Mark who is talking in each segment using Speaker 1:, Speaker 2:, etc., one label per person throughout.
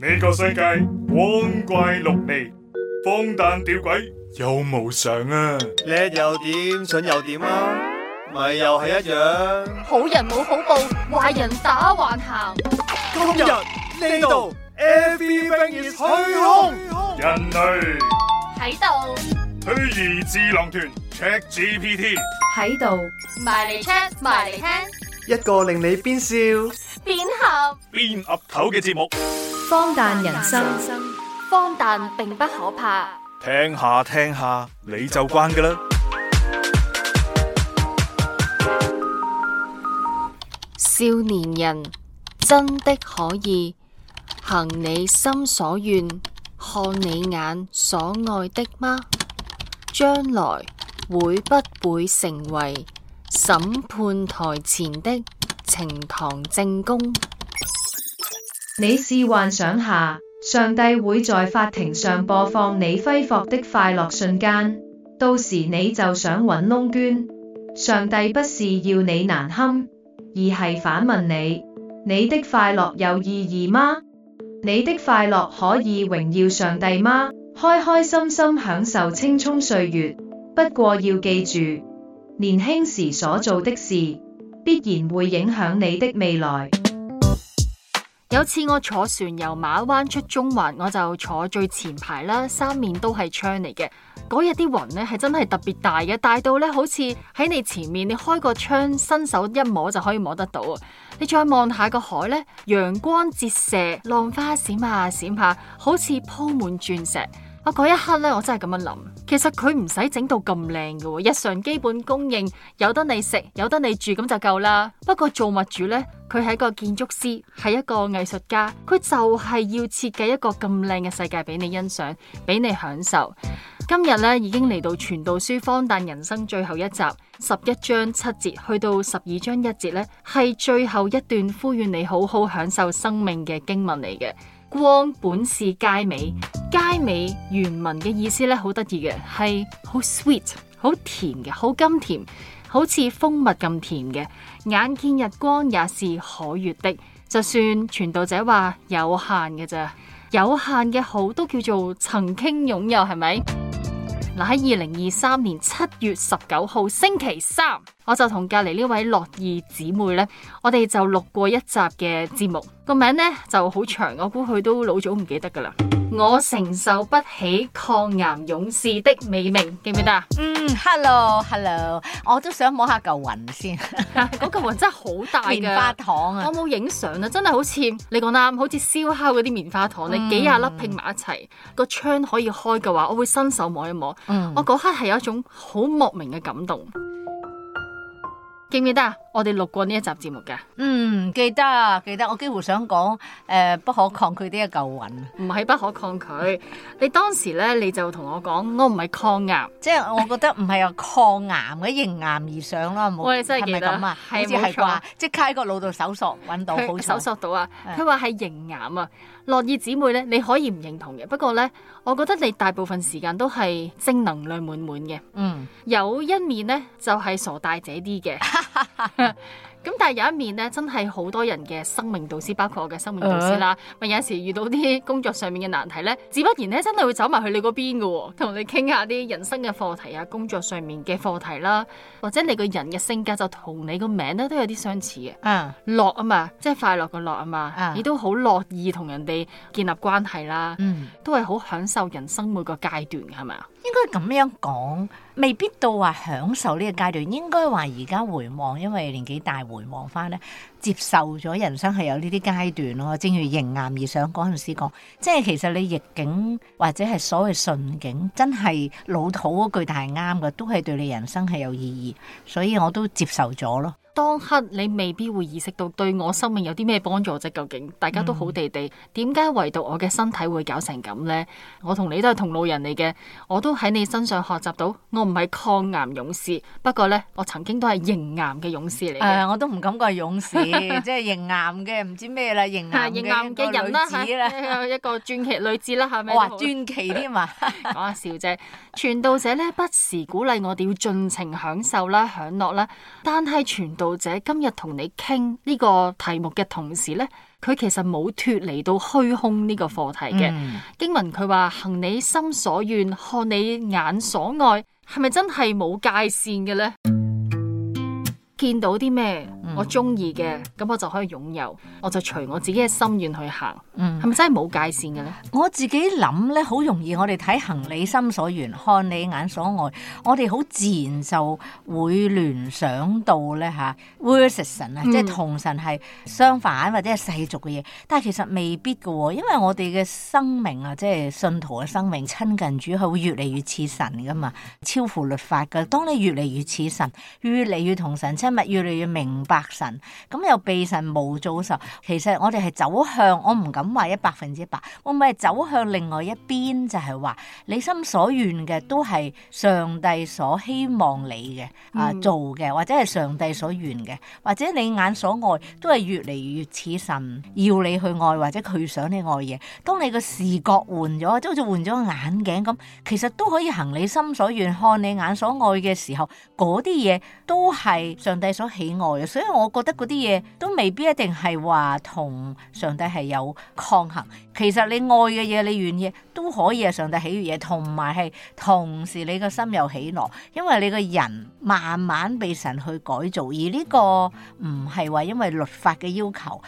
Speaker 1: 呢個世界光怪陸離，荒誕吊詭又無常啊！
Speaker 2: 叻又點，蠢又點啊？咪又係一樣。
Speaker 3: 好人冇好報，壞人打橫行。
Speaker 2: 今日呢度 Everything is 虛空，
Speaker 1: 人類
Speaker 3: 喺度
Speaker 1: 虛擬智囊團 ChatGPT
Speaker 4: 喺度
Speaker 3: 埋嚟 check 埋嚟聽，
Speaker 2: 一個令你邊笑
Speaker 3: 邊喊
Speaker 1: 邊岌頭嘅節目。
Speaker 4: 荒誕人生，
Speaker 3: 荒誕並不可怕。
Speaker 1: 聽下聽下你就慣㗎啦。
Speaker 3: 少年人真的可以行你心所願，看你眼所愛的嗎？將來會不會成為審判台前的呈堂證供？
Speaker 4: 你試幻想下，上帝會在法庭上播放你揮霍的快樂瞬間，到時你就想揾窿捐。上帝不是要你難堪，而係反問你：你的快樂有意義嗎？你的快樂可以榮耀上帝嗎？開開心心享受青蔥歲月，不過要記住，年輕時所做的事，必然會影響你的未來。
Speaker 3: 有次我坐船由馬灣出中環，我就坐最前排啦，三面都係窗嚟嘅。嗰日啲雲呢係真係特別大嘅，大到呢好似喺你前面，你開個窗，伸手一摸就可以摸得到啊！你再望下個海呢，陽光折射，浪花閃下閃下，好似鋪滿鑽石。嗰一刻呢，我真係咁樣諗，其實佢唔使整到咁靚嘅，日常基本供應有得你食，有得你住咁就夠啦。不過造物主呢，佢係一個建築師，係一個藝術家，佢就係要設計一個咁靚嘅世界俾你欣賞，俾你享受。今日呢，已經嚟到傳道書荒誕人生最後一集，11章7節去到12章1節呢，係最後一段呼籲你好好享受生命嘅經文嚟嘅。光本是佳美，佳美原文嘅意思咧好得意嘅，係好 sweet， 好甜嘅，好甘甜，好似蜂蜜咁甜嘅。眼見日光也是可悅的，就算傳道者話有限嘅咋，有限嘅好都叫做曾經擁有，係咪？嗱，喺2023年7月19號星期三，我就同隔籬呢位樂意姊妹呢，我哋就錄過一集嘅節目，個名呢就好長，我估佢都老早唔記得噶啦。我承受不起抗癌勇士的美名，記唔記得啊
Speaker 5: ？Hello， 我都想摸下嚿雲先。
Speaker 3: 嗰嚿雲真係好大嘅
Speaker 5: 棉花糖啊！
Speaker 3: 我冇影相啊，真係好似你講啱，好似燒烤嗰啲棉花糖，你幾廿粒拼埋一齊，個窗可以開嘅話，我會伸手摸一摸。我嗰刻係有一種好莫名嘅感動。記唔記得啊？我哋錄過呢一集節目噶。
Speaker 5: 記得。我幾乎想講不可抗拒的一嚿雲。
Speaker 3: 唔係不可抗拒。你當時咧，你就同我講，我唔係抗癌，
Speaker 5: 即係我覺得唔係話抗癌嘅，迎癌而上啦。
Speaker 3: 我哋真係記得，
Speaker 5: 係咪咁啊？好似係啩，即刻喺個腦度搜索揾到，好
Speaker 3: 搜索到啊！佢話係迎癌啊。樂意姊妹咧，你可以唔認同嘅，不過咧，我覺得你大部分時間都係正能量滿滿嘅。有一面咧就係傻大姐啲嘅。咁但係有一面咧，真係好多人嘅生命導師，包括我嘅生命導師啦。咪有時遇到啲工作上面嘅難題咧，自不然咧真係會走埋去你嗰邊嘅，同你傾下啲人生嘅課題啊，工作上面嘅課題啦，或者你個人嘅性格就同你個名咧都有啲相似嘅。樂啊嘛，即係快樂嘅樂啊嘛，亦都好樂意同人哋建立關係啦。都係好享受人生每個階段，係咪啊？
Speaker 5: 應該咁樣講，未必到話享受呢個階段，應該話而家回望，因為年紀大回望翻咧，接受咗人生係有呢啲階段咯。正如迎癌而上嗰陣時講，即係其實你逆境或者係所謂順境，真係老土嗰句，但係啱嘅，都係對你人生係有意義，所以我都接受咗咯。
Speaker 3: 當刻你未必會意識到對我生命有啲咩幫助啫，究竟大家都好地地，點解唯獨我嘅身體會搞成咁呢？我同你都係同路人嚟嘅，我都喺你身上學習到，我唔係抗癌勇士，不過呢，我曾經都係迎癌嘅勇士嚟嘅。
Speaker 5: 我都唔敢講係勇士，即係迎癌嘅唔知咩啦，迎癌嘅人啦，
Speaker 3: 一個傳奇女子啦，係咪？
Speaker 5: 哇，傳奇添啊！
Speaker 3: 講下笑啫。傳道者呢，不時鼓勵我哋要盡情享受啦、享樂啦，但係傳道導者今日同你傾呢個題目嘅同時呢，佢其實冇脫離到虛空呢個課題嘅。經文佢話行你心所願，看你眼所愛，係咪真係冇界線嘅呢？見到啲咩我中意嘅，咁我就可以擁有，我就隨我自己嘅心願去行。係咪真係冇界線嘅咧？
Speaker 5: 我自己諗咧，好容易我哋睇行你心所願，看你眼所愛，我哋好自然就會聯想到咧versus神啊，即係同神係相反或者係世俗嘅嘢。但係其實未必嘅喎，因為我哋嘅生命啊，即係信徒嘅生命，親近主係會越嚟越似神噶嘛，超乎律法嘅。當你越嚟越似神，越嚟越同神親密，越嚟越明白神，咁又被神模造嘅時候，其實我哋係走向，我唔敢話100%，我咪係走向另外一邊，就係話你心所願嘅都係上帝所希望你嘅做嘅，或者係上帝所願嘅，或者你眼所愛都係越嚟越似神要你去愛，或者佢想你愛嘢。當你個視覺換咗，即好似換咗個眼鏡咁，其實都可以行你心所願，看你眼所愛嘅時候，嗰啲嘢都係上帝所喜愛嘅。所以我覺得嗰啲嘢都未必一定係話同上帝係有抗衡。其實你愛嘅嘢，你願意都可以係上帝喜悅嘢，同埋係同時你個心有喜樂，因為你個人慢慢被神去改造。而呢個唔係話因為律法嘅要求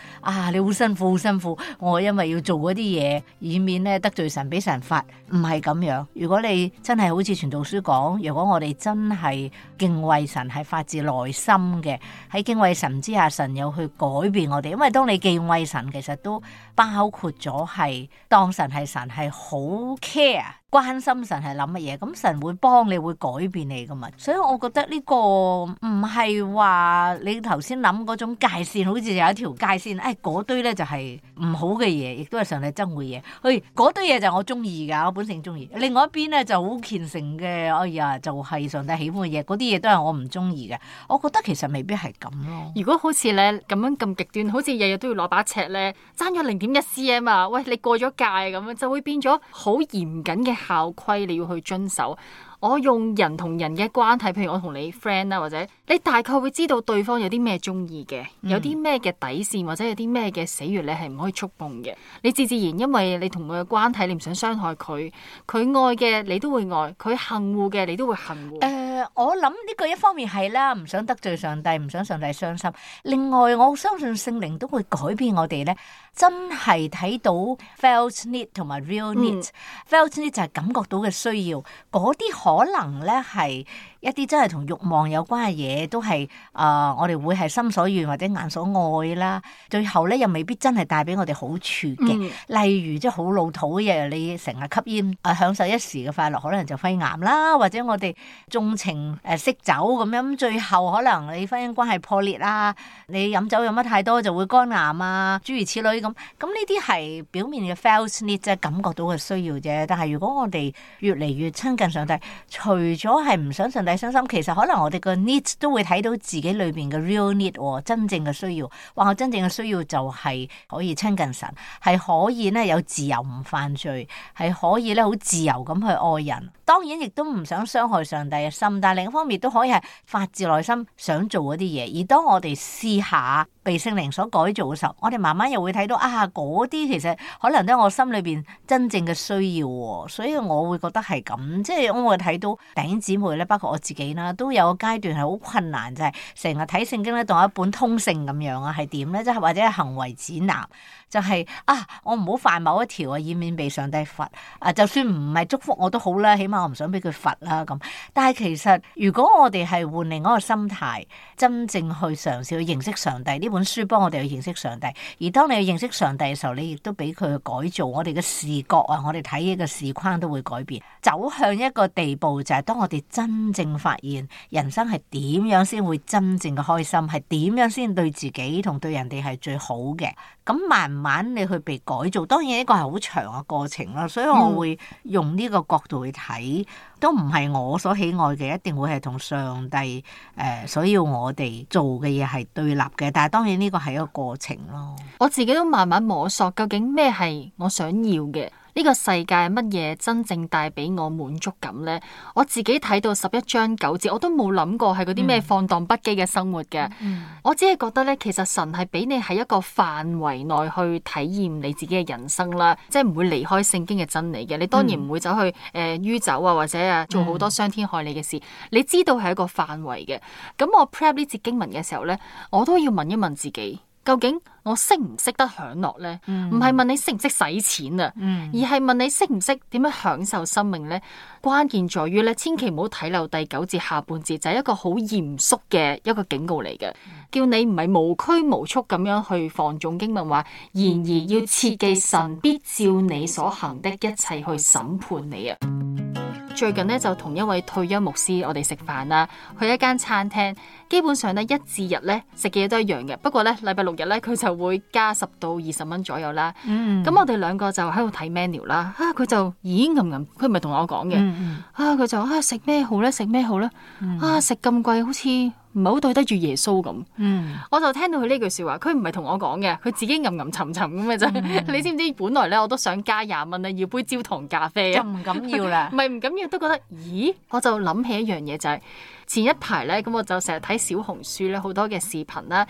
Speaker 5: 你好辛苦好辛苦，我因為要做嗰啲嘢，以免咧得罪神俾神罰，唔係咁樣。如果你真係好似傳道書講，如果我哋真係敬畏神係發自內心嘅，喺敬畏神之下，神有去改變我哋。因為當你敬畏神，其實都包括咗係當神係神，係好 care 關心神係諗乜嘢，咁神會幫你，會改變你噶嘛。所以我覺得呢個唔係話你頭先諗嗰種界線，好似有一條界線，嗰堆咧就係唔好嘅嘢，亦都係上帝憎嘅嘢。嗰堆嘢就我中意噶，我本性中意。另外一邊咧就好虔誠嘅，就係上帝喜歡嘅嘢，嗰啲嘢都係我唔中意嘅。我覺得其實未必係咁咯。
Speaker 3: 如果好似咧咁樣咁極端，好似日日都要攞把尺咧，爭咗0.1 cm 啊，喂，你過咗界咁樣，就會變咗好嚴謹嘅校規，你要去遵守。我用人同人嘅關係，譬如我同你 friend 啦，或者你大概會知道對方有啲咩中意嘅，有啲咩嘅底線，或者有啲咩嘅死穴你係唔可以觸碰嘅。你自然因為你同佢嘅關係，你唔想傷害佢，佢愛嘅你都會愛，佢恨惡嘅你都會恨惡。
Speaker 5: 我諗呢個一方面係啦，唔想得罪上帝，唔想上帝傷心。另外，我相信聖靈都會改變我哋咧，真係睇到 felt need 同埋 real need。felt need 就係感覺到嘅需要，嗰啲可能咧係一啲真係同慾望有關嘅嘢，都係我哋會係心所願或者眼所愛啦。最後咧又未必真係帶俾我哋好處嘅。例如即係好老土嘅，你成日吸煙享受一時嘅快樂，可能就肺癌啦，或者我哋縱情識酒咁樣，最後可能你婚姻關係破裂啦，你飲酒飲得太多就會肝癌啊，諸如此類咁。咁呢啲係表面嘅 felt need， 即係感覺到嘅需要啫。但係如果我哋越嚟越親近上帝，除咗係唔想上帝傷心，其實可能我哋個 need 都會睇到自己裏邊嘅 real need， 真正嘅需要。話我真正嘅需要就係可以親近神，係可以咧有自由唔犯罪，係可以咧好自由咁去愛人。當然亦都唔想傷害上帝嘅心，但係另一方面都可以係發自內心想做嗰啲嘢。而當我哋試下被聖靈所改造嘅時候，我哋慢慢又會睇到嗰啲其實可能都係我心裏邊真正嘅需要。所以我會覺得係咁，即係我會睇到弟兄姊妹咧，包括我自己啦，都有個階段係好困難，就係成日睇聖經咧當一本通勝咁樣啊，係點咧？即係或者係行為指南，就係我唔好犯某一條啊，以免被上帝罰就算唔係祝福我都好啦，起碼我唔想俾佢罰啦咁。但係其實如果我哋係換另一個心態，真正去嘗試去認識上帝，呢本書幫我哋去認識上帝。而當你去認識上帝嘅時候，你亦都俾佢去改造我哋嘅視覺啊，我哋睇嘢嘅視框都會改變，走向一個地步就係當我哋真正發現人生係點樣先會真正嘅開心，係點樣先對自己同對人哋係最好嘅。咁慢慢你去被改造，當然呢個係好長嘅過程啦。所以我會用呢個角度去睇，都唔係我所喜愛嘅，一定會係同上帝所要我哋做嘅嘢係對立嘅。但係當然呢個係一個過程咯。
Speaker 3: 我自己都慢慢摸索究竟咩係我想要嘅。呢個世界乜嘢真正帶俾我滿足感呢？我自己睇到11章9節，我都冇諗過係嗰啲咩放蕩不羈嘅生活嘅。我只係覺得咧，其實神係俾你喺一個範圍內去體驗你自己嘅人生啦，即係唔會離開聖經嘅真理嘅。你當然唔會走去酗酒啊，或者做好多傷天害理嘅事。你知道係一個範圍嘅。咁我 prep 呢節經文嘅時候咧，我都要問一問自己。究竟我識唔識得享樂呢？唔係問你識唔識使錢啊，而係問你識唔識點樣享受生命呢？關鍵在於咧，千祈唔好睇漏第9節下半節，就係一個好嚴肅嘅一個警告嚟嘅，叫你唔係無拘無束咁樣去放縱經文話，然而要切記神必照你所行的一切去審判你啊！最近咧就同一位退休牧師我哋食飯啦，去一間餐廳，基本上咧1至日咧食嘅嘢都一樣嘅，不過咧禮拜6日咧佢就會加10到20蚊左右啦。咁我哋2個就喺度睇 menu 啦，佢就咦佢唔係同我講嘅，佢就食咩好咧，食咩好咧，食咁貴好似唔係好對得住耶穌咁。我就聽到佢呢句說話，佢唔係同我講嘅，佢自己吟吟沉沉咁嘅啫。你知唔知本來咧我都想加20蚊啊，要杯焦糖咖啡啊，
Speaker 5: 就唔敢要啦。
Speaker 3: 唔係唔敢要，都覺得咦，我就諗起一樣嘢就係前一排咧，咁我就成日睇小紅書咧好多嘅視頻啦，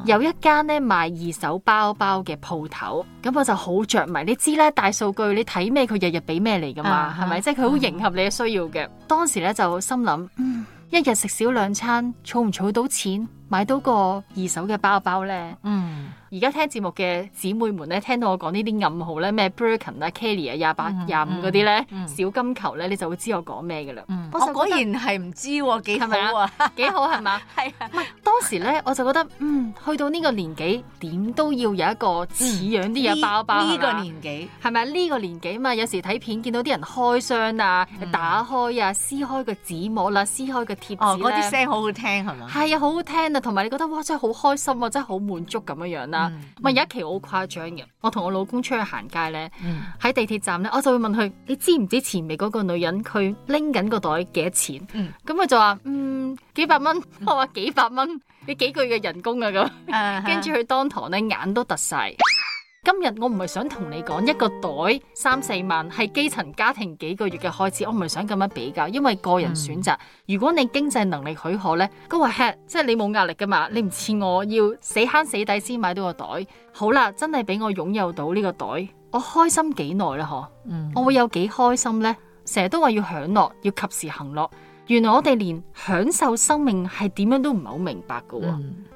Speaker 3: 有一間咧賣2手包包嘅鋪頭，咁我就好着迷。你知咧大數據，你睇咩佢日日俾咩嚟噶嘛，係咪？即係佢好迎合你嘅需要嘅。當時咧就心諗，一日食少2餐，儲唔儲到錢買到個2手嘅包包咧？而家聽節目嘅姊妹們咧，聽到我講呢啲暗號咧，咩 Birkin 啊、Kelly 啊、28、25嗰啲咧，小金球咧，你就會知我講咩噶啦。
Speaker 5: 我果然係唔知喎，幾好啊，
Speaker 3: 幾好係嘛？
Speaker 5: 係啊。
Speaker 3: 唔係當時咧，我就覺得去到呢個年紀，點都要有一個似樣啲嘅包包。
Speaker 5: 呢個年紀
Speaker 3: 係咪呢個年紀嘛？有時睇片見到啲人開箱啊、打開啊、撕開個紙膜啦、撕開個貼紙咧，
Speaker 5: 嗰啲聲好好聽係嘛？
Speaker 3: 係啊，好好聽啊，同埋你覺得哇，真係好開心啊，真係好滿足咁樣樣啦。有一期好誇張嘅，我同我老公出去行街咧，喺地鐵站咧，我就會問佢：你知唔知前面嗰個女人佢拎緊個袋幾多錢？咁佢就話幾百蚊。我話幾百蚊，你幾個月嘅人工啊咁。跟住佢當堂咧眼都突晒。今日我唔係想同你講一個袋3、4萬係基層家庭幾個月嘅開支，我唔係想咁樣比較，因為個人選擇。如果你經濟能力許可呢，嗰個 head 即係你冇壓力噶嘛，你唔似我要死慳死抵先買到個袋。好啦，真係俾我擁有到呢個袋，我開心幾耐啦？嗬，我會有幾開心呢？成日都話要享樂，要及時行樂。原來我哋連享受生命係點樣都唔係好明白噶。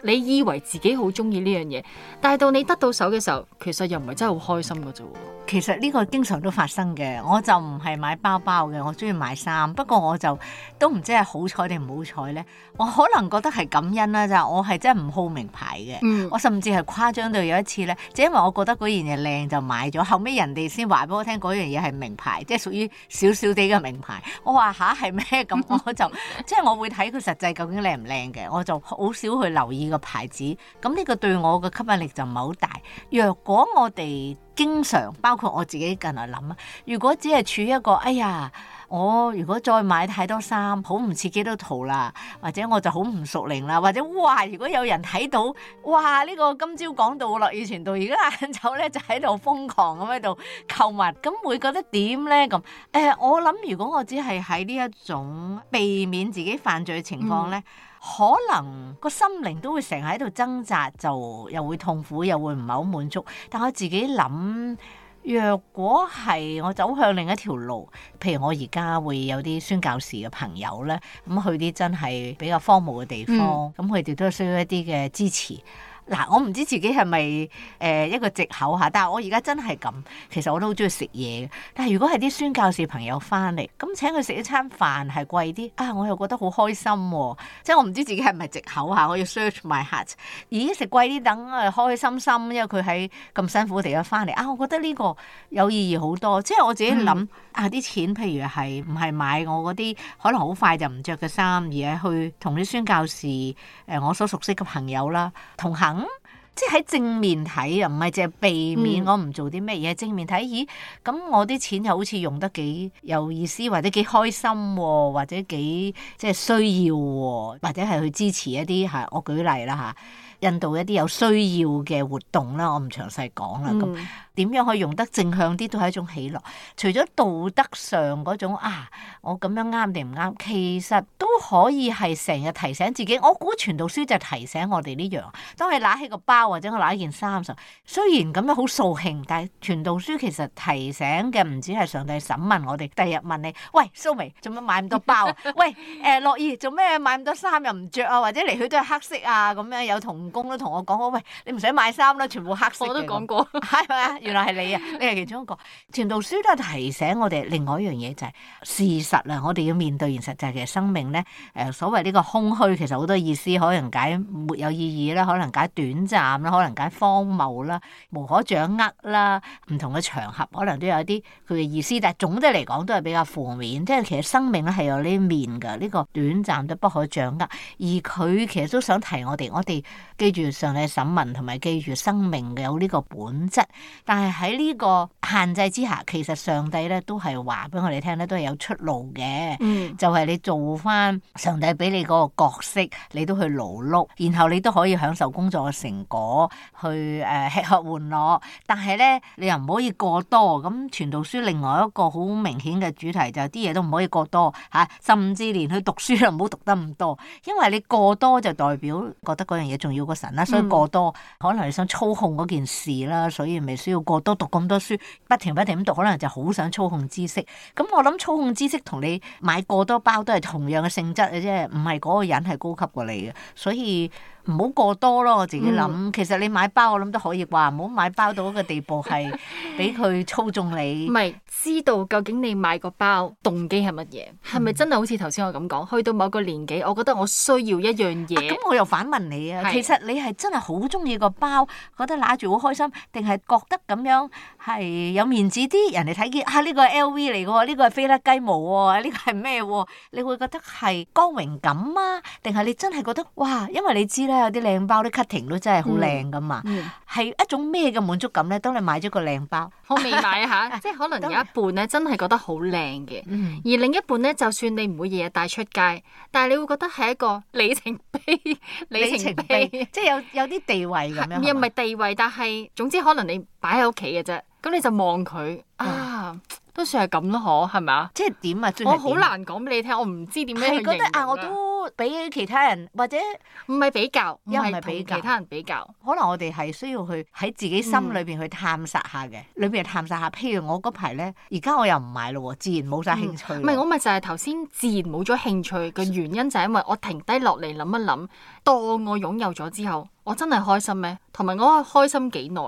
Speaker 3: 你以為自己好中意呢樣嘢，但係到你得到手嘅時候，其實又唔係真係好開心噶啫。
Speaker 5: 其實呢個經常都發生嘅，我就唔係買包包嘅，我中意買衫。不過我就都唔知係好彩定唔好彩呢。我可能覺得係感恩啦，就我係真係唔好名牌嘅。我甚至係誇張到有一次呢，就因為我覺得嗰樣嘢靚就買咗，後尾人哋先話俾我聽嗰樣嘢係名牌，即係屬於少少啲嘅名牌。我話吓係咩咁？我就即係我會睇佢實際究竟靚唔靚嘅，我就好少去留意個牌子。咁呢個對我嘅吸引力就唔係好大。若果我哋經常包括我自己近來諗啊，如果只係處於一個哎呀，我如果再買太多衫，好唔似基督徒啦，或者我就好唔屬靈啦，或者哇，如果有人睇到哇呢個今朝講到樂意傳道，而家晏晝咧就喺度瘋狂咁喺度購物，咁會覺得點咧咁？我諗如果我只係喺呢一種避免自己犯罪嘅情況咧。可能個心靈都會成日喺度掙扎，就又會痛苦，又會唔係好滿足。但我自己諗，若果係我走向另一條路，譬如我而家會有啲宣教士嘅朋友咧，咁去啲真係比較荒蕪嘅地方，咁佢哋都需要一啲嘅支持。嗱，我唔知自己係咪一個藉口嚇，但係我而家真係咁，其實我都好中意食嘢嘅。但係如果係啲宣教士朋友翻嚟，咁請佢食一餐飯係貴啲啊，我又覺得好開心喎。即係我唔知自己係咪藉口嚇，我要 search my heart。咦，食貴啲等開開心心，因為佢喺咁辛苦嘅地方翻嚟啊，我覺得呢個有意義好多。即係我自己諗啲錢，譬如係唔係買我嗰啲可能好快就唔着嘅衫，而係去同啲宣教士我所熟悉嘅朋友啦同行。即係喺正面睇啊，唔係淨係避免我唔做啲咩嘢。正面睇，咦，咁我啲錢又好似用得幾有意思，或者幾開心，或者幾即係需要，或者係去支持一啲我舉例啦嚇。印度一啲有需要嘅活動啦，我唔詳細講啦。咁點樣可以用得正向啲，都係一種喜樂。除咗道德上嗰種我咁樣啱定唔啱，其實都可以係成日提醒自己。我估傳道書就提醒我哋呢樣。當你拿起個包或者我拿一件衫時，雖然咁樣好掃興，但係傳道書其實提醒嘅唔止係上帝審問我哋，第日問你：喂，蘇眉做乜買咁多包啊？喂，樂意做咩買咁多衫又唔着啊？或者嚟去都係黑色啊？咁樣有同工都同我講：喂，你唔使買衫啦，全部黑色嘅。
Speaker 3: 我都講過，
Speaker 5: 係咪啊？原來係你啊！你係其中一個。傳道書都係提醒我哋另外一樣嘢，就係事實啊！我哋要面對現實，就係其實生命咧，所謂呢個空虛，其實好多意思，可能解沒有意義啦，可能解短暫啦，可能解荒謬啦，無可掌握啦，唔同嘅場合可能都有啲佢嘅意思，但係總的嚟講都係比較負面。即係其實生命咧係有呢面㗎，呢個短暫都不可掌握。而佢其實都想提我哋記住上帝審問，同埋記住生命嘅有呢個本質。但係喺呢個限制之下，其實上帝咧都係話俾我哋聽咧，都係有出路嘅。就係你做翻上帝俾你嗰個角色，你都去勞碌，然後你都可以享受工作嘅成果，去吃喝玩樂。但係咧，你又唔可以過多。咁傳道書另外一個好明顯嘅主題就係啲嘢都唔可以過多嚇，甚至連去讀書都唔好讀得咁多，因為你過多就代表覺得嗰樣嘢重要過神啦。所以過多可能你想操控嗰件事啦，所以咪需要過多讀咁多書，不停咁讀，可能就好想操控知識。咁我諗操控知識同你買過多包都係同樣嘅性質嘅啫，唔係嗰個人係高級過你嘅，所以唔好過多咯。我自己諗，其實你買包我諗都可以啩，唔好買包到一個地步係俾佢操縱你。
Speaker 3: 唔係知道究竟你買個包動機係乜嘢，係咪真係好似頭先我咁講？去到某個年紀，我覺得我需要一樣嘢。
Speaker 5: 咁我又反問你啊，其實你係真係好中意個包，覺得拿住好開心，定係覺得咁樣係有面子啲？人哋睇見呢個係 LV 嚟嘅，呢個係飛得雞毛喎，呢個係咩？你會覺得係光榮感啊？定係你真係覺得哇？因為你知咧，有啲靚包啲 cutting 都真係好靚噶嘛，係一種咩嘅滿足感咧？當你買咗個靚包，
Speaker 3: 我未買嚇，即係可能有一半咧真係覺得好靚嘅，而另一半咧，就算你唔會日日帶出街，但係你會覺得係一個里程碑，
Speaker 5: 即係有啲地位咁樣。
Speaker 3: 又唔係地位，但係總之可能你擺喺屋企嘅啫，咁你就望佢都算係咁咯，係咪啊？
Speaker 5: 即係點啊？
Speaker 3: 我好難講俾你聽，我唔知點樣去形容。
Speaker 5: 係覺得我都比其他人或者
Speaker 3: 唔係比較，
Speaker 5: 又唔係比較
Speaker 3: 其他人比較。
Speaker 5: 可能我哋係需要去喺自己心裏邊去探索下嘅，裏邊探索下。譬如我嗰排咧，而家我又唔買咯，自然冇晒興趣。
Speaker 3: 唔係我咪就係頭先自然冇咗興趣嘅原因，就係因為我停低落嚟諗一諗，當我擁有咗之後，我真係開心咩？同埋我開心幾耐？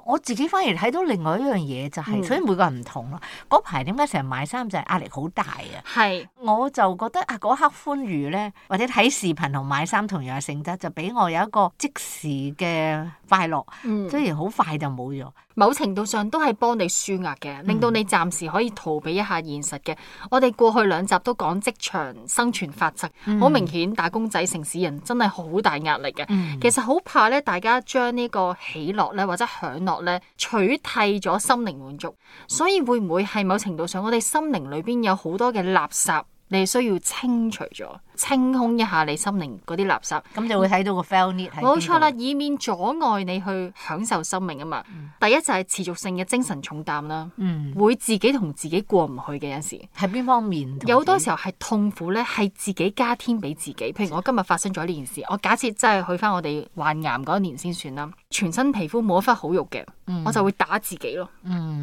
Speaker 5: 我自己反而睇到另外一樣嘢就係，所以每個人唔同咯。嗰排點解成日買衫就係壓力好大啊？
Speaker 3: 係，
Speaker 5: 我就覺得嗰刻歡愉咧，或者睇視頻同買衫同樣嘅性質，就俾我有一個即時嘅快樂。雖然好快就冇咗。
Speaker 3: 某程度上都係幫你舒壓嘅，令到你暫時可以逃避一下現實嘅。我哋過去2集都講職場生存法則，好明顯打工仔城市人真係好大壓力嘅。其實好怕咧，大家將呢個喜樂咧或者享樂咧取替咗心靈滿足，所以會唔會係某程度上我哋心靈裏邊有好多嘅垃圾，你係需要清除咗？清空一下你心靈嗰啲垃圾，
Speaker 5: 咁就會睇到個 fail need 喺邊度。
Speaker 3: 冇錯啦，以免阻礙你去享受生命啊嘛。第一就係持續性嘅精神重擔啦，會自己同自己過唔去嘅有時。
Speaker 5: 係邊方面？
Speaker 3: 有好多時候係痛苦咧，係自己加添俾自己。譬如我今日發生咗呢件事，我假設真係去翻我哋患癌嗰一年先算啦，全身皮膚冇一忽好肉嘅，我就會打自己咯，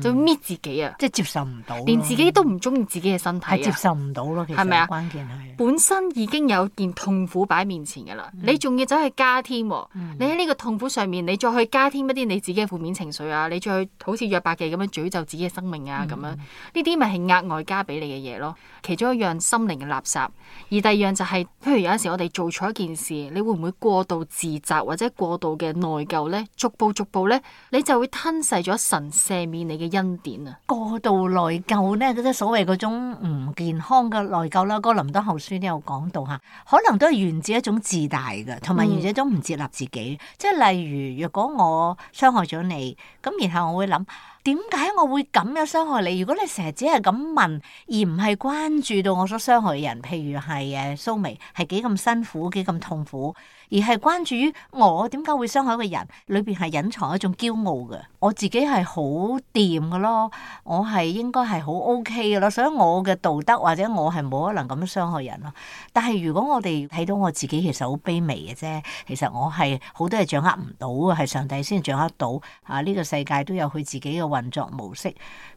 Speaker 3: 就會搣自己啊，
Speaker 5: 即係接受唔到，
Speaker 3: 連自己都唔中意自己嘅身體，
Speaker 5: 係接受唔到咯。其實係咪啊？關鍵係本
Speaker 3: 身已經有件痛苦擺面前㗎啦，你仲要走去加添，你喺呢個痛苦上面，你再去加添一啲你自己嘅負面情緒啊，你再去好似約伯記咁樣詛咒自己嘅生命啊，咁樣呢啲咪係額外加俾你嘅嘢咯。其中一樣心靈嘅垃圾，而第二樣就係，譬如有陣時我哋做錯一件事，你會唔會過度自責或者過度嘅內疚呢？逐步呢，你就會吞噬咗神赦免你嘅恩典啊！
Speaker 5: 過度內疚呢，即係所謂嗰種唔健康嘅內疚啦。哥林多後書都有講到嚇，可能都係源自一種自大嘅，同埋源自一種唔接納自己。即係例如，若果我傷害咗你，咁然後我會諗，點解我會咁樣傷害你？如果你成日只係咁問，而唔係關注到我所傷害嘅人，譬如係蘇眉係幾咁辛苦、幾咁痛苦，而係關注於我點解會傷害一個人，裏邊係隱藏一種驕傲嘅。我自己係好掂嘅咯，我係應該係好 OK 嘅咯，所以我嘅道德或者我係冇可能咁樣傷害人咯。但係如果我哋睇到我自己其實好卑微嘅啫，其實我係好多嘢掌握唔到嘅，係上帝先掌握到啊！呢個世界都有佢自己嘅運作模式。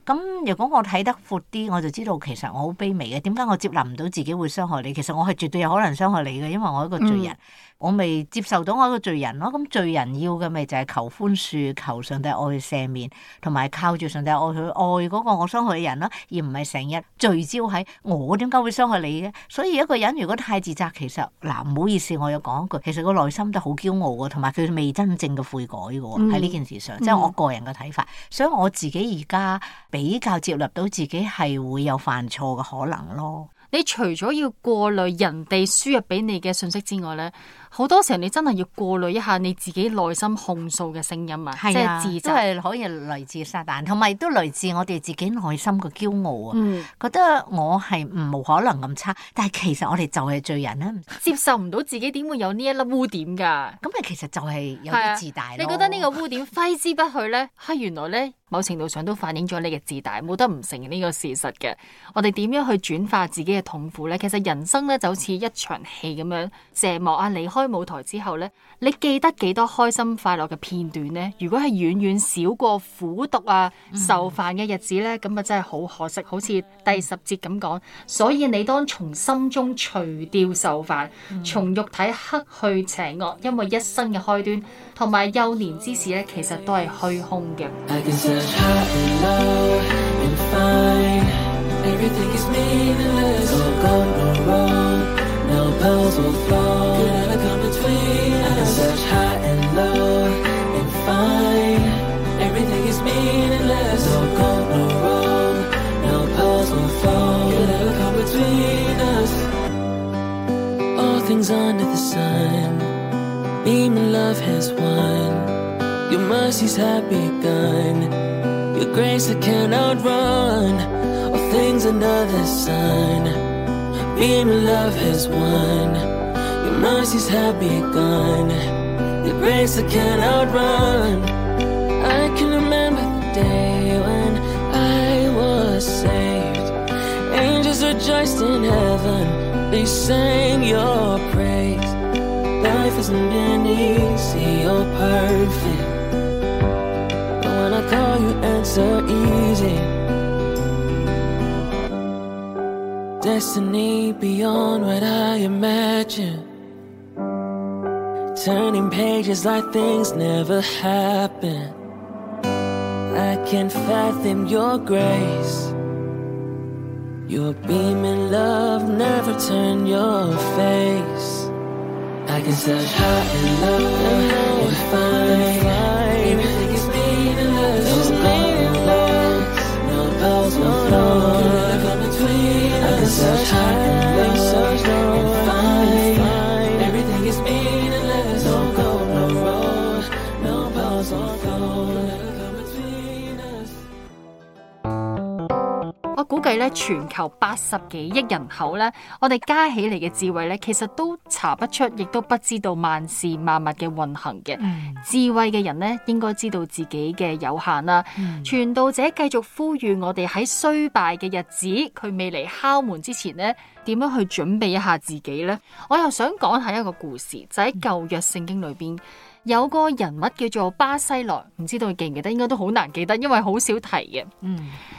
Speaker 5: 咁如果我睇得闊啲，我就知道其實我好卑微嘅。點解我接納唔到自己會傷害你？其實我係絕對有可能傷害你嘅，因為我係一個罪人。我未接受到我一個罪人咯。咁罪人要嘅咪就係求寬恕、求上帝愛佢赦免，同埋靠住上帝愛佢愛嗰個我傷害嘅人啦，而唔係成日聚焦喺我點解會傷害你嘅。所以一個人如果太自責，其實唔好意思，我有講一句，其實個內心都好驕傲嘅，同埋佢未真正嘅悔改嘅喎，喺呢件事上，即係我個人嘅睇法。所以我自己而家比較接納到自己係會有犯錯嘅可能咯。
Speaker 3: 你除咗要過濾人哋輸入俾你嘅信息之外咧，好多時候你真係要過濾一下你自己內心控訴嘅聲音啊，即係自責，
Speaker 5: 都係可以來自撒旦，同埋都來自我哋自己內心嘅驕傲啊。覺得我係冇可能咁差，但係其實我哋就係罪人啦，
Speaker 3: 接受唔到自己點會有呢一粒污點㗎。
Speaker 5: 咁你其實就係有啲自大咯。
Speaker 3: 你覺得呢個污點揮之不去咧？原來咧某程度上都反映咗你嘅自大，冇得唔承認呢個事實嘅。我哋點樣去轉化自己嘅痛苦咧？其實人生咧就好似一場戲咁樣，謝幕啊，離開舞台之後咧，你記得幾多開心快樂嘅片段咧？如果係遠遠少過苦毒啊、受煩嘅日子咧，咁啊真係好可惜。好似第10節咁講，所以你當從心中除掉受煩，從肉體克去邪惡，因為一生嘅開端同埋幼年之事咧，其實都係虛空嘅。
Speaker 6: Everything is meaningless, no gold, no wrong, no pearls will fall, could never come between us. I can search high and low and find everything is meaningless, no gold, no wrong, no pearls will fall, could never come between us. All things under the sun, beam and love has won, your mercies have begun, your grace I cannot run.Things under the sun, being in love has won. Your mercies have begun. Your grace I cannot run. I can remember the day when I was saved. Angels rejoiced in heaven. They sang your praise. Life hasn't been easy or perfect, but when I call you answer easy.Destiny beyond what I imagine, turning pages like things never happened. I can't fathom your grace, your beam and love never turn your face. I can search high and low and find everything is meaningless, no pearls will flow.Search high and low, search low and find everything is meaningless, no gold, no road, no pearls or gold, never come between us.
Speaker 3: 我估計咧，全球80幾億人口咧，我哋加起嚟嘅智慧咧，其實都查不出，亦都不知道萬事萬物嘅運行嘅。智慧嘅人咧，應該知道自己嘅有限啦。傳道者繼續呼籲我哋喺衰敗嘅日子，佢未嚟敲門之前咧，點樣去準備一下自己呢？我又想講下一個故事，就喺舊約聖經裏邊。有個人物叫做巴西萊，唔知道你記唔記得？應該都好難記得，因為好少提嘅。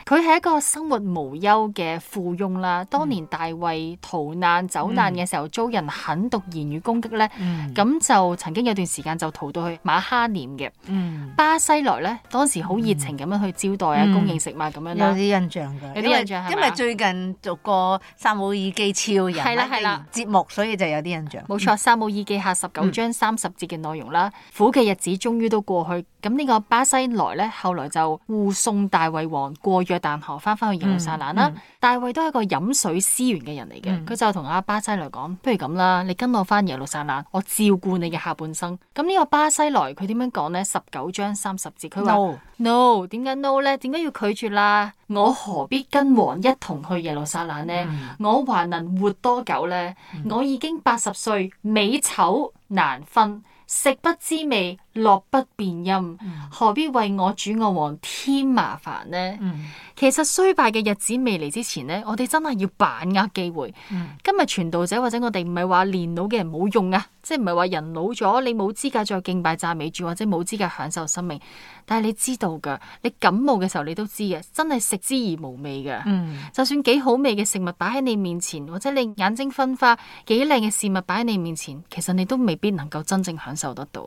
Speaker 3: 佢係一個生活無憂嘅富翁啦。當年大衛逃難走難嘅時候，遭人狠毒言語攻擊咧，咁就曾經有段時間就逃到去馬哈念嘅。巴西萊咧，當時好熱情咁樣去招待啊，供應食物咁樣啦。
Speaker 5: 有啲印象㗎，
Speaker 3: 有啲印象係嘛？
Speaker 5: 因為最近做過撒母耳記超人嘅節目，所以就有啲印象。
Speaker 3: 冇錯，撒母耳記下19章30節嘅內容啦。苦嘅日子終於都過去。咁呢個巴西萊咧，後來就護送大衛王過約旦河翻去耶路撒冷啦。大衛都係一個飲水思源嘅人嚟嘅，佢就同阿巴西萊講：不如咁啦，你跟我翻耶路撒冷，我照顧你嘅下半生。咁呢個巴西萊佢點樣講呢？19章30節，佢話 No， 點解 no 咧？點解要拒絕啦？我何必跟王一同去耶路撒冷呢？我還能活多久呢？我已經80歲，美醜難分，食不知味，樂不辨音，何必為我主我王添麻煩呢？其實衰敗嘅日子未嚟之前呢，我哋真係要把握機會。今日傳道者或者我哋唔係話年老嘅人冇用啊，即係唔係話人老咗你冇資格再敬拜讚美主，或者冇資格享受生命。但係你知道噶，你感冒嘅時候你都知嘅，真係食之而無味噶。就算幾好味嘅食物擺喺你面前，或者你眼睛昏花，幾靚嘅事物擺喺你面前，其實你都未必能夠真正享受得到。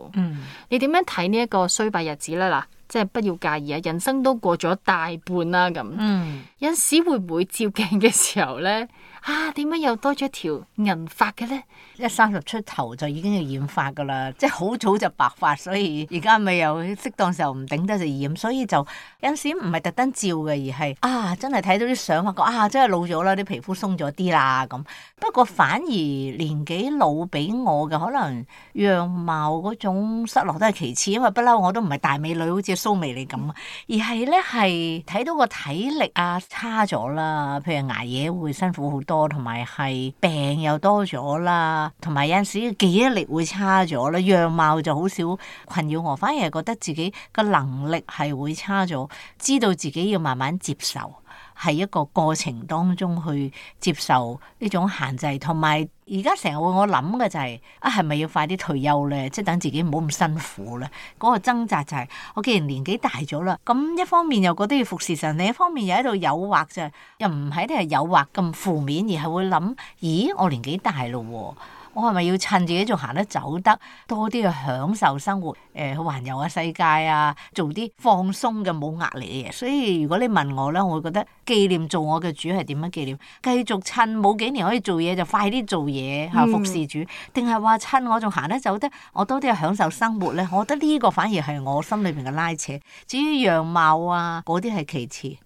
Speaker 3: 你點樣睇呢一個衰敗日子呢？嗱，即係不要介意啊，人生都過咗大半啦，咁。有陣時會唔會照鏡嘅時候呢？點解又多咗條銀髮嘅呢？30出頭就已經要染髮噶啦，即係好早就白髮，所以而家咪又適當時候唔頂得就染，所以就有陣時唔係特登照嘅，而係真係睇到啲相發覺真係老咗啦，啲皮膚鬆咗啲啦咁。不過反而年紀老俾我嘅可能樣貌嗰種失落都係其次，因為不嬲我都唔係大美女，好似蘇眉你咁，而係咧係睇到個體力差咗啦，譬如捱夜會辛苦好多，同埋係病又多咗啦，同埋有陣時記憶力會差咗啦，樣貌就好少困擾我，反而係覺得自己個能力係會差咗，知道自己要慢慢接受，係一個過程當中去接受呢種限制，同埋而家成日會我諗嘅就係咪要快啲退休咧？即係等自己唔好咁辛苦咧。嗰個掙扎就係我既然年紀大咗啦，咁一方面又覺得要服侍神，另一方面又喺度誘惑就又唔係啲係誘惑咁負面，而係會諗：咦，我年紀大咯，我係咪要趁自己仲行得走得多啲去享受生活？去環遊下世界啊，做啲放鬆嘅冇壓力嘅嘢。所以如果你問我咧，我會覺得紀念做我嘅主係點樣紀念？繼續趁冇幾年可以做嘢就快啲做嘢服侍主，定係話趁我仲行得走得，我多啲去享受生活咧？我覺得呢個反而係我心裏邊嘅拉扯。至於樣貌嗰啲係其次。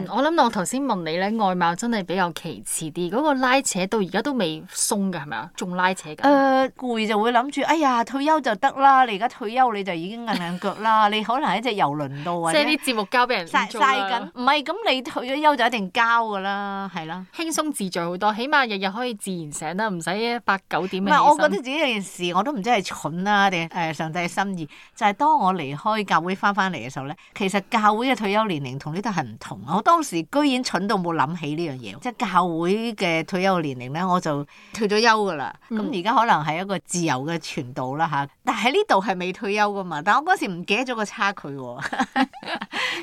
Speaker 3: 我諗我頭先問你咧，外貌真係比較其次啲，嗰個拉扯到而家都未鬆㗎，係咪啊？仲拉扯緊？攰就會諗住，哎呀，退休就得啦！你而家退休你就已經硬腳啦，你可能喺隻遊輪度或者即係啲節目交俾人晒緊，唔係咁你退咗休就一定交㗎啦，係啦，輕鬆自在好多，起碼日日可以自然醒啦，唔使8、9點。唔係，我覺得自己有件事我都唔知係蠢啦定上帝嘅心意，就係當我離開教會翻嚟嘅時候咧，其實教會嘅退休年齡同呢度係唔同。我當時居然蠢到冇諗起呢樣嘢，即係教會嘅退休年齡咧，我就退咗休噶啦。咁而家可能係一個自由嘅傳道啦嚇，但係呢度係未退休噶嘛。但我嗰時唔記得咗個差距喎，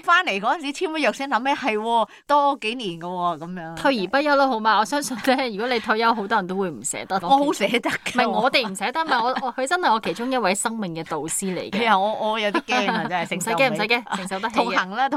Speaker 3: 翻嚟嗰陣時簽咗約先諗咩係多幾年噶喎咁樣。退而不休啦，好嘛？我相信咧，如果你退休，好多人都會唔捨得。我好捨得㗎，唔係我哋唔捨得，唔係佢真係我其中一位生命嘅導師嚟嘅。我有啲驚啊，真係承受唔使驚，承受得起。同行啦，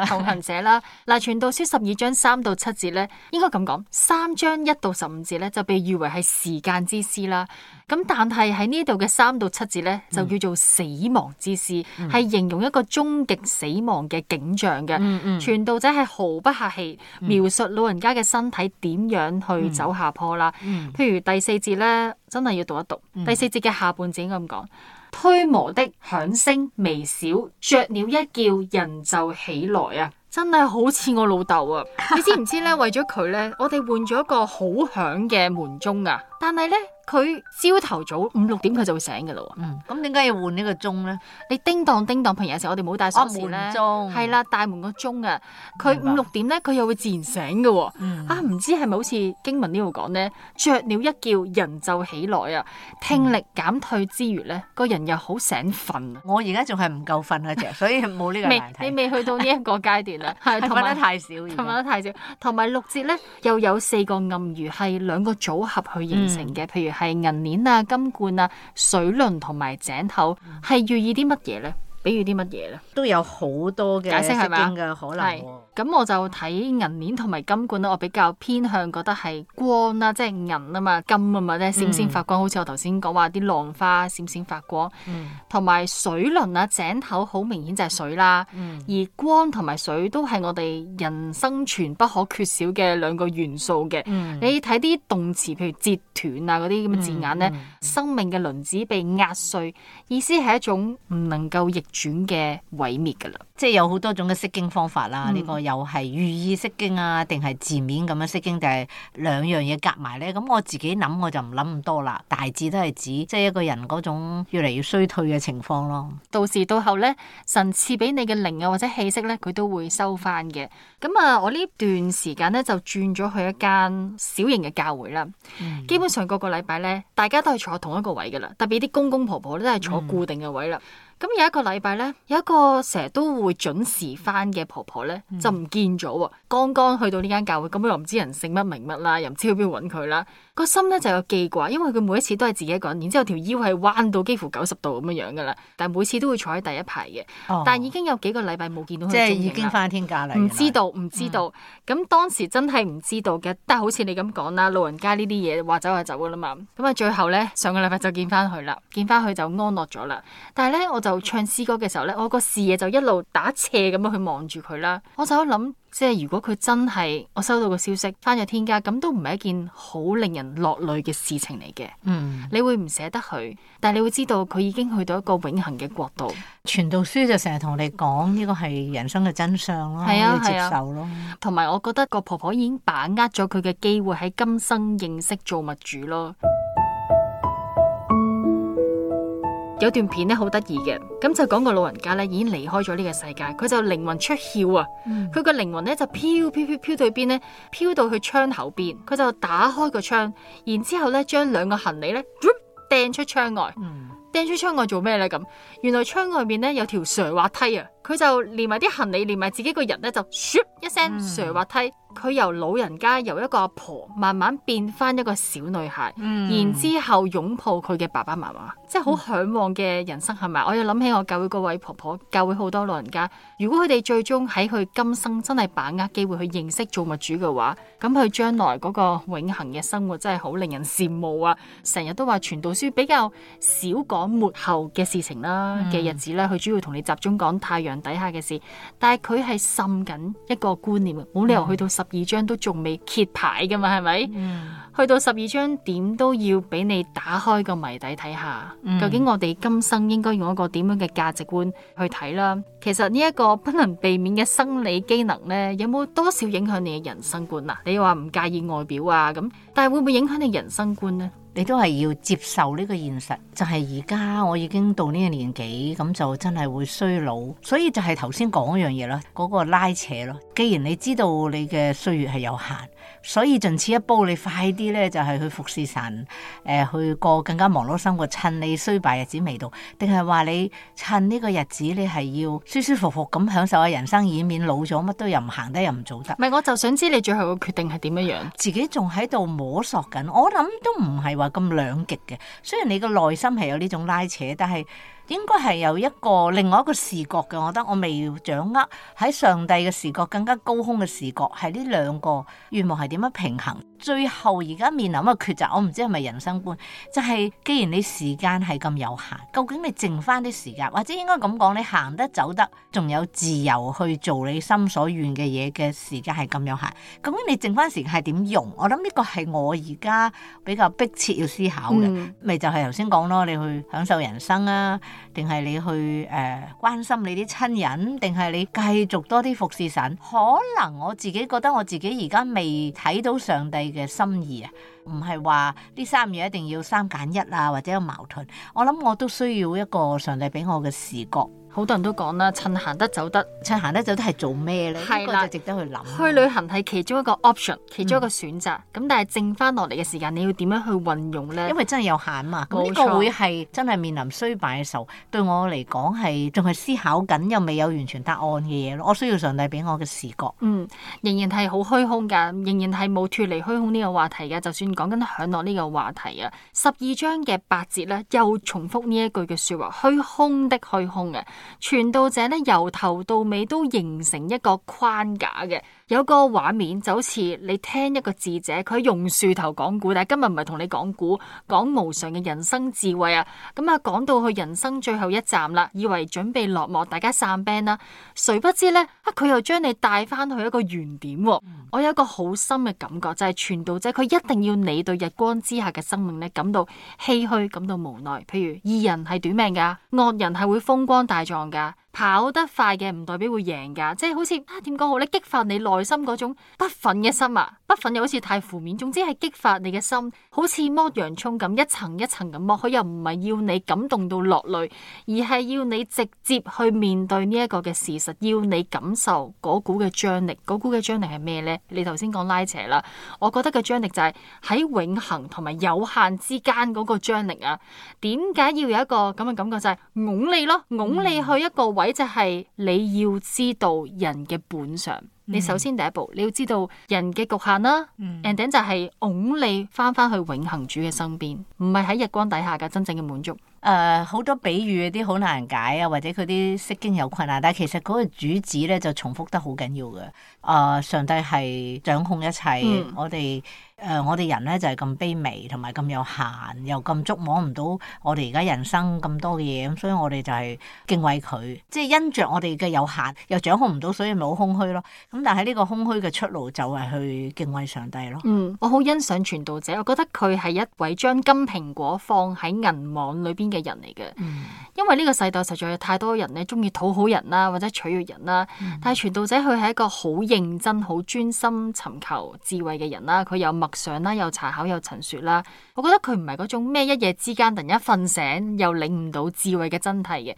Speaker 3: 同行者啦。嗱，傳道書12章3到7節咧，應該咁講，3章1到15節咧就被譽為係時間之詩啦。咁但係喺呢度嘅3到7節咧，就叫做死亡之詩，係形容一個終極死亡嘅景象嘅。傳道者係毫不客氣描述老人家嘅身體點樣去走下坡啦。譬如第4節咧，真係要讀一讀。第4節嘅下半節應該咁講：推磨的響聲微小，雀鳥一叫，人就起來啊！真係好似我老豆啊！你知唔知咧？為咗佢咧，我哋換咗一個好響嘅門鐘啊！但係咧，佢朝頭早5、6點佢就會醒噶啦。咁點解要換呢個鐘咧？你叮當叮當，平日有時我哋冇帶鎖匙咧，係啦，大門個鐘啊，佢5、6點咧，佢又會自然醒噶。唔知係咪好似經文呢度講咧？雀鳥一叫，人就起來啊！聽力減退之餘咧，個人又好醒瞓。我而家仲係唔夠瞓啊，啫，所以冇呢個難題。你未去到呢一個階段啦，係瞓得太少，瞓得太少。同埋6節咧，又有4個暗語係2個組合去形成嘅，譬如係銀鏈啊、金罐啊、水輪同埋井口，係寓意啲乜嘢咧？比喻啲乜嘢咧？都有好多嘅解釋係咪嘅可能。咁我就睇銀鏈同埋金冠咧，我比較偏向覺得係光啦，即係銀啊嘛，金啊嘛，咧閃閃發光，好似我頭先講話啲浪花閃閃發光，同埋水輪啊，井口好明顯就係水啦，而光同埋水都係我哋人生存不可缺少嘅兩個元素嘅。你睇啲動詞，譬如截斷啊嗰啲咁嘅字眼咧，生命嘅輪子被壓碎，意思係一種唔能夠逆轉嘅毀滅噶啦。
Speaker 5: 即係有好多種嘅釋經方法啦，呢個又係寓意釋經啊，定係字面咁樣釋經，定係兩樣嘢夾埋咧？咁我自己諗我就唔諗咁多啦，大致都係指即係一個人嗰種越嚟越衰退嘅情況咯。
Speaker 3: 到時到後咧，神賜俾你嘅靈啊或者氣息咧，佢都會收翻嘅。咁啊，我呢段時間咧就轉咗去一間小型嘅教會啦。基本上個個禮拜咧，大家都係坐同一個位噶啦，特別啲公公婆婆咧都係坐固定嘅位啦。咁有一個禮拜咧，有一個成日都會準時翻嘅婆婆咧，就唔見咗喎。剛剛去到呢間教會，咁又唔知人姓乜名乜啦，又唔知去邊度揾佢啦。個心咧就有記掛，因為佢每一次都係自己一個人，然之後條腰係彎到幾乎90度咁樣樣噶啦。但係每次都會坐喺第一排嘅。但係已經有幾個禮拜冇見到佢，
Speaker 5: 即係已經翻天家啦。
Speaker 3: 唔知道。咁當時真係唔知道嘅，但係好似你咁講啦，老人家呢啲嘢話走就走噶啦嘛。咁啊，最後咧上個禮拜就見翻佢啦，見翻佢就安樂咗啦。但係咧我就唱詩歌嘅時候咧，我個視野就一路打斜咁樣去望住佢啦。我就諗，即係如果佢真係我收到個消息翻咗天家，咁都唔係一件好令人落淚嘅事情嚟嘅。你會唔捨得佢，但係你會知道佢已經去到一個永恆嘅國度。
Speaker 5: 傳道書就成日同你講呢個係人生嘅真相咯，要接受咯。
Speaker 3: 同埋我覺得個婆婆已經把握咗佢嘅機會喺今生認識造物主咯。有段片咧好得意嘅，咁就講個老人家咧已經離開咗呢個世界，佢就靈魂出竅啊！佢個靈魂咧就飄到去邊咧？飄到去窗口邊，佢就打開個窗，然之後咧將兩個行李咧掟出窗外。掟出窗外做咩咧？咁原來窗外面咧有條斜滑梯啊！佢就連埋啲行李，連埋自己個人咧就咻一聲斜滑梯。佢由老人家由一個阿婆慢慢變翻一個小女孩，然之後擁抱佢嘅爸爸媽媽，即係好向往嘅人生係咪？我又諗起我教會嗰位婆婆，教會好多老人家，如果佢哋最終喺佢今生真係把握機會去認識造物主嘅話，咁佢將來嗰個永恆嘅生活真係好令人羨慕啊！成日都話傳道書比較少講末後嘅事情啦嘅日子啦，佢主要同你集中講太陽底下嘅事，但係佢係滲緊一個觀念，冇理由去到12章都仲未揭牌噶嘛，係咪？去到12章點都要俾你打開個謎底睇下，究竟我哋今生應該用一個點樣嘅價值觀去睇啦？其實呢一個不能避免嘅生理機能呢，有冇多少影響你嘅人生觀啊？你話唔介意外表啊咁，但係會唔會影響你人生觀呢？
Speaker 5: 你都係要接受呢個現實，就係而家我已經到呢個年紀，咁就真係會衰老，所以就係頭先講嗰樣嘢咯，嗰個拉扯咯。既然你知道你嘅歲月係有限，所以盡此一步，你快啲咧就係去服侍神，去過更加忙碌生活，趁你衰敗日子未到，定係話你趁呢個日子你係要舒舒服服咁享受下人生，以免老咗乜都又唔行得又唔做得。
Speaker 3: 唔係，我就想知你最後嘅決定係點樣樣？
Speaker 5: 自己仲喺度摸索緊，我諗都唔係話咁兩極嘅。雖然你個內心係有呢種拉扯，但係應該係有一個另外一個視覺嘅。我覺得我未掌握喺上帝嘅視覺更加高空嘅視覺，係呢兩個願望係點樣平衡？最後而家面臨一個抉擇，我唔知係咪人生觀，就係既然你時間係咁有限，究竟你剩翻啲時間，或者應該咁講，你行得走得，仲有自由去做你心所願嘅嘢嘅時間係咁有限，究竟你剩翻時間係點用？我諗呢個係我而家比較迫切要思考嘅，咪就係頭先講咯，你去享受人生啊，定係你去關心你啲親人，定係你繼續多啲服侍神？可能我自己覺得我自己而家未睇到上帝嘅心意啊，唔係話呢三樣一定要3揀1啊，或者有矛盾。我諗我都需要一個上帝俾我嘅視覺。
Speaker 3: 好多人都講啦，趁行得走得，
Speaker 5: 趁行得走得係做咩咧？呢個就值得去諗。
Speaker 3: 去旅行係其中一個 option， 其中一個選擇。咁但係剩翻落嚟嘅時間，你要點樣去運用咧？
Speaker 5: 因為真係有限嘛。咁呢個會係真係面臨衰敗嘅時候，對我嚟講係仲係思考緊，又未有完全答案嘅嘢咯。我需要上帝俾我嘅視覺。
Speaker 3: 仍然係好虛空㗎，仍然係冇脫離虛空呢個話題㗎。就算講緊享樂呢個話題啊，12章嘅8節咧，又重複呢一句嘅説話：虛空的虛空嘅。傳道者咧由頭到尾都形成一個框架嘅，有個畫面就好似你聽一個智者，佢用樹頭講古，但係今日唔係同你講古，講無常嘅人生智慧啊。咁啊，講到去人生最後一站啦，以為準備落幕，大家散 band 啦，誰不知咧佢又將你帶翻去一個原點。我有一個好深嘅感覺，就係傳道者佢一定要你對日光之下嘅生命咧感到唏噓，感到無奈。譬如義人係短命噶，惡人係會風光大壯噶。跑得快嘅唔代表會贏噶，即係好似點講好咧？激發你內心嗰種不忿嘅心啊！不忿又好似太負面，總之係激發你嘅心，好似剝洋蔥咁，一層一層咁剝。佢又唔係要你感動到落淚，而係要你直接去面對呢一個嘅事實，要你感受嗰股嘅張力。嗰股嘅張力係咩呢？你頭先講拉扯啦，我覺得嘅張力就係喺永恆同埋有限之間嗰個張力啊！點解要有一個咁嘅感覺？就係拱你咯，拱你去一個位。就係你要知道人嘅本相，你首先第一步你要知道人嘅局限啦，and then 就係拱你翻去永恆主嘅身邊，唔係喺日光底下嘅真正嘅滿足。
Speaker 5: 好多比喻啲好難解啊，或者佢啲釋經有困難，但係其實嗰個主旨咧就重複得好緊要嘅。上帝係掌控一切，我哋人咧就係咁卑微，同埋咁有限，又咁觸摸唔到我哋而家人生咁多嘅嘢，咁所以我哋就係敬畏佢，即係因着我哋嘅有限，又掌控唔到，所以咪好空虛咯。咁但係呢個空虛嘅出路就係去敬畏上帝咯。
Speaker 3: 我好欣賞傳道者，我覺得佢係一位將金蘋果放喺銀網裏邊嘅人嚟嘅。因為呢個世代實在有太多人咧中意討好人啦，或者取悅人啦。但係傳道者佢係一個好認真、好專心尋求智慧嘅人啦。佢有默想啦，有查考，有陳說啦。我覺得佢唔係嗰種咩一夜之間突然間瞓醒又領悟到智慧嘅真諦嘅，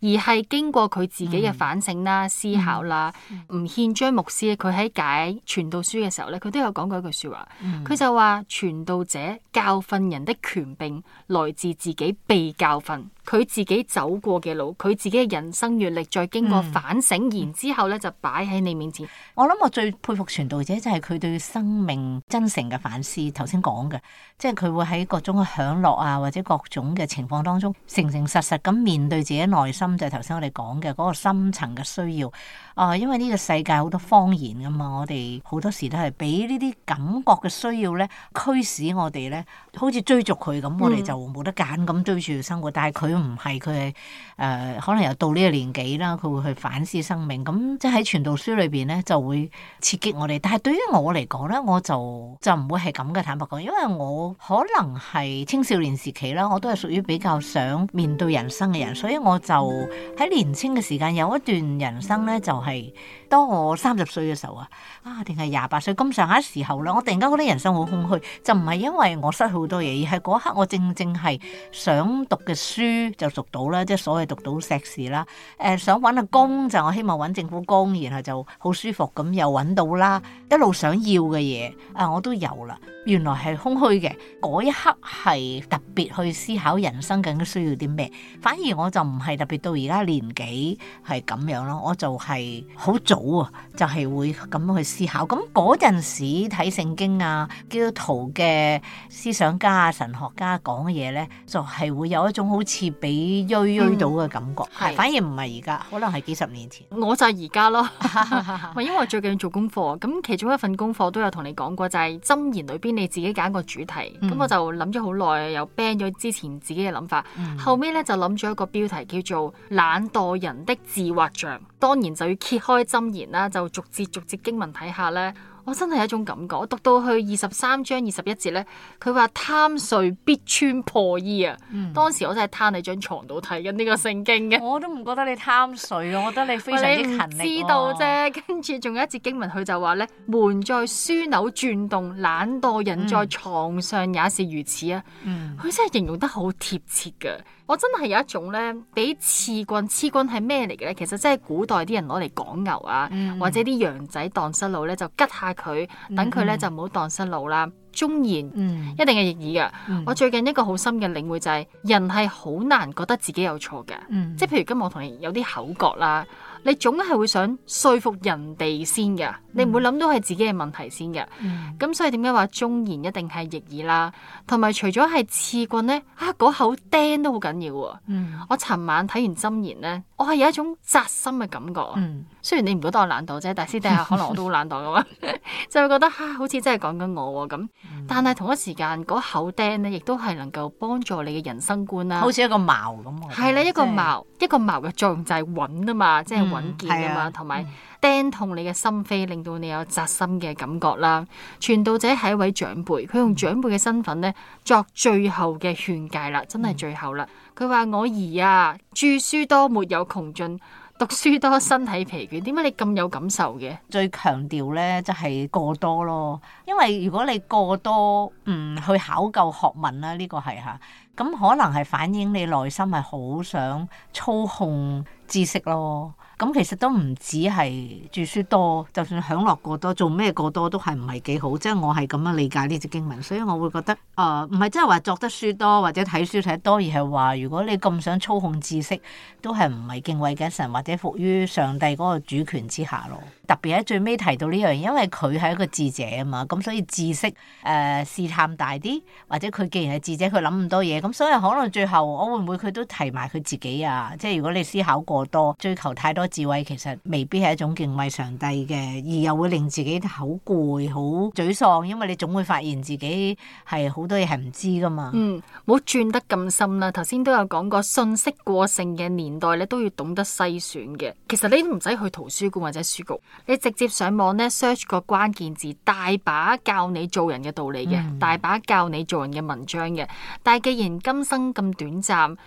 Speaker 3: 而係經過佢自己嘅反省啦、思考啦。吳憲章牧師佢喺解傳道書嘅時候咧，佢都有講過一句說話。佢就話傳道者教訓人的權柄來自自己被教訓，佢自己走過嘅路，佢自己嘅人生閱歷，再經過反省，然之後咧就擺喺你面前。
Speaker 5: 我諗我最佩服傳道者就係佢對生命真誠嘅反思。頭先講嘅，即係佢會喺各種嘅享樂啊，或者各種嘅情況當中，誠誠實實咁面對自己內心，就係頭先我哋講嘅嗰個深層嘅需要。因為呢個世界好多謊言噶嘛，我哋好多時都係俾呢啲感覺嘅需要咧驅使我哋咧，好似追逐佢咁，我哋就冇得揀咁追住生活。但係佢唔係，佢係可能又到呢個年紀啦，佢會去反思生命。咁即係喺傳道書裏邊咧，就會刺激我哋。但係對於我嚟講咧，我就唔會係咁嘅，坦白講，因為我可能係青少年時期啦，我都係屬於比較想面對人生嘅人，所以我就喺年青嘅時間有一段人生咧，就係當我30歲嘅時候定係28歲咁上下時候啦，我突然間覺得人生好空虛，就唔係因為我失去好多嘢，而係嗰刻我正係想讀嘅書就讀到啦，即係所謂讀到碩士啦。想揾個工就我希望揾政府工，然後就好舒服咁又揾到啦，一路想要嘅嘢我都有啦。原來係空虛嘅，嗰一刻係特別去思考人生究竟需要啲咩，反而我就唔係特別到而家年紀係咁樣咯，我就係好早就係會咁樣去思考。咁嗰陣時睇聖經基督徒嘅思想家神學家講嘅嘢咧，就係會有一種好似俾鋥到嘅感覺，反而唔係而家，可能係幾十年前。
Speaker 3: 我就係而家咯，因為我最近做功課，咁其中一份功課都有同你講過，就係箴言裏邊你自己揀個主題，咁我就諗咗好耐，又 ban 咗之前自己嘅諗法，後尾咧就諗咗一個標題叫做懶惰人的自畫像，當然就要揭開箴言啦，就逐節經文睇下咧。我真係有一種感覺，我讀到去23章21節咧，佢話貪睡必穿破衣啊！當時我真係攤喺張床度睇緊呢個聖經嘅。我都唔覺得你貪睡啊，我覺得你非常之勤力。你唔知道啫，跟住仲有一節經文，佢就話咧：門在樞紐轉動，懶惰人在床上也是如此啊！佢真係形容得好貼切㗎。我真係有一種咧，俾刺棍係咩嚟嘅咧？其實真係古代啲人攞嚟趕牛或者啲羊仔蕩失路咧，就吉下佢，等佢咧就唔好蕩失路啦。忠言一定係逆耳噶。我最近一個好深嘅領會就係，人係好難覺得自己有錯嘅。即係譬如今日我同你有啲口角啦，你總係會想說服人哋先嘅，你唔會諗到係自己嘅問題先嘅。咁所以點解話忠言一定係逆耳啦？同埋除咗係刺棍咧，嗰口釘都好緊要。我尋晚睇完箴言咧，我係有一種扎心嘅感覺啊。雖然你唔覺得我懶惰啫，但係私底下可能我都好懶惰噶嘛，就會覺得好似真係講緊我咁。但係同一時間嗰口釘咧，亦都係能夠幫助你嘅人生觀啦。
Speaker 5: 好似一個矛咁。
Speaker 3: 係啦，一個矛嘅作用就係穩啊嘛，即係穩健啊嘛，同埋釘痛你嘅心扉，令到你有扎心嘅感覺啦。傳道者係一位長輩，佢用長輩嘅身份咧作最後嘅勸誡啦，真係最後啦。佢話：我兒啊，著書多沒有窮盡，讀書多身體疲倦。點解你咁有感受嘅？
Speaker 5: 最強調咧就係過多咯，因為如果你過多去考究學問啦，呢個係嚇，咁可能係反映你內心係好想操控知識咯。咁其實都唔止係著書多，就算享樂過多，做咩過多都係唔係幾好。即係我係咁樣理解呢隻經文，所以我會覺得唔係真係話作得書多或者睇書睇得多，而係話如果你咁想操控知識，都係唔係敬畏緊神或者服於上帝嗰個主權之下咯。特別喺最尾提到呢樣，因為佢係一個智者啊嘛，咁所以知識試探大啲，或者佢既然係智者，佢諗咁多嘢，咁所以可能最後我會唔會佢都提埋佢自己啊？即係如果你思考過多，追求太多智慧，其實未必係一種敬畏上帝嘅，而又會令自己好攰、好沮喪，因為你總會發現自己係好多嘢係唔知噶嘛。
Speaker 3: 唔好轉得咁深啦。頭先都有講過，信息過剩嘅年代咧，都要懂得篩選嘅。其實你都唔使去圖書館或者書局，你直接上網咧 search 個關鍵字，大把教你做人嘅道理嘅，大把教你做人嘅文章嘅。但係既然今生咁短暫，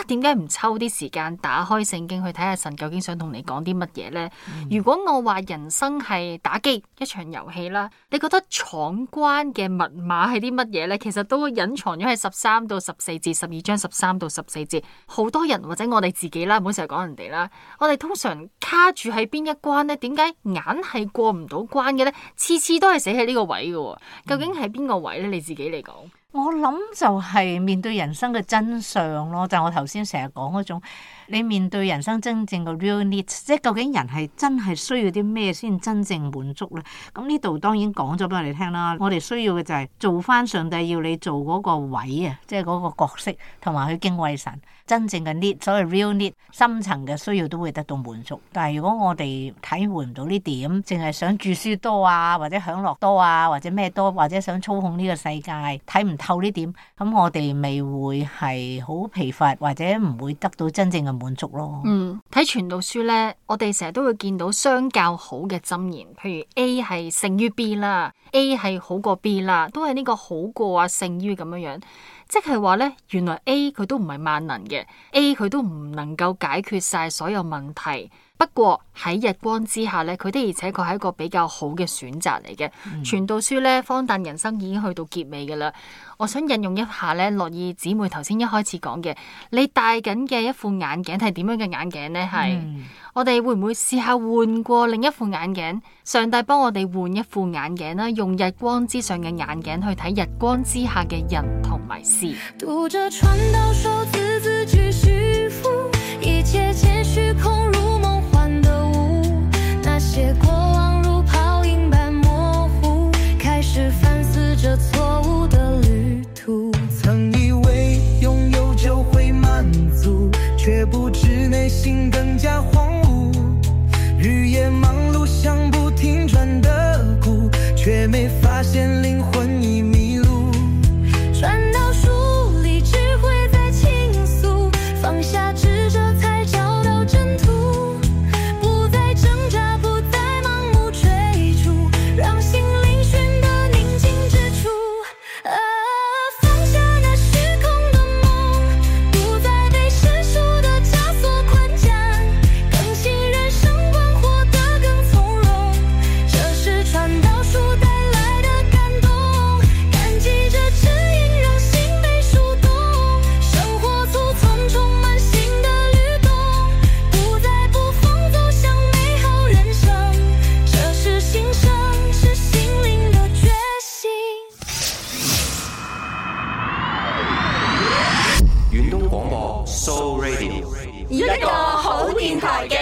Speaker 3: 點解唔抽啲時間打開聖經去睇下神究竟想同你講啲乜嘢呢？如果我話人生係打機一場遊戲啦，你覺得闖關嘅密碼係啲乜嘢呢？其實都隱藏咗喺13到14節，12章13到14節。好多人或者我哋自己啦，唔好成日講人哋啦，我哋通常卡住喺邊一關呢？點解硬係過唔到關嘅呢？次次都係死喺呢個位嘅，究竟係邊個位呢？你自己嚟講？
Speaker 5: 我諗就係面對人生嘅真相咯，就係我頭先成日講嗰種，你面對人生真正嘅 real needs， 即係究竟人係真係需要啲咩先真正滿足咧？咁呢度當然講咗俾我哋聽啦，我哋需要嘅就係做翻上帝要你做嗰個位啊，即係嗰個角色，同埋去敬畏神，真正嘅 need， 所謂 real need， 深層嘅需要都會得到滿足。但係如果我哋體會唔到呢點，淨係想著書多啊，或者享樂多啊，或者咩多，或者想操控呢個世界，睇唔透呢點，咁我哋未會係好疲乏，或者唔會得到真正嘅滿足咯。
Speaker 3: 睇傳道書呢，我哋成日都會見到相較好嘅箴言，譬如 A 係勝於 B 啦， A 係好過 B 啦，都係呢個好過啊，勝於咁樣樣。即係話呢，原來 A 佢都唔係萬能嘅， A 佢都唔能夠解決晒所有問題。不過喺日光之下呢，佢的而且確係一個比較好嘅選擇嚟嘅。傳道書呢，荒誕人生已經去到結尾噶啦。我想引用一下呢，樂意姊妹頭先一開始講嘅，你戴緊嘅一副眼鏡係點樣嘅眼鏡呢？係我哋會唔會試下換過另一副眼鏡？上帝幫我哋換一副眼鏡啦，用日光之上嘅眼鏡去睇日光之下嘅人同埋事。
Speaker 7: 讀着傳道書，字句虛浮，一切皆虛空如夢幻的霧，那些過往如泡影般模糊，開始反思着錯誤的旅途。
Speaker 8: 曾以為擁有就會滿足，卻不知內心更加荒蕪，日夜忙碌像不停轉的鼓，卻沒發現靈魂已迷路。
Speaker 7: 傳道書裡智慧在傾訴，放下執着才找到真途，不再掙扎，不再盲目追逐，讓心靈尋得寧靜之處。放下那虛空的夢，不再被世俗的枷鎖捆綁，更信人生觀，活得更從容。這是傳道書帶來的感動，感激這指引讓心被觸動，生活簇擁充滿新的律動，不再捕風走向美好人生。這是新生，是心靈的覺醒。
Speaker 9: 遠東廣播 Soul Radio，
Speaker 7: 一個好電台嘅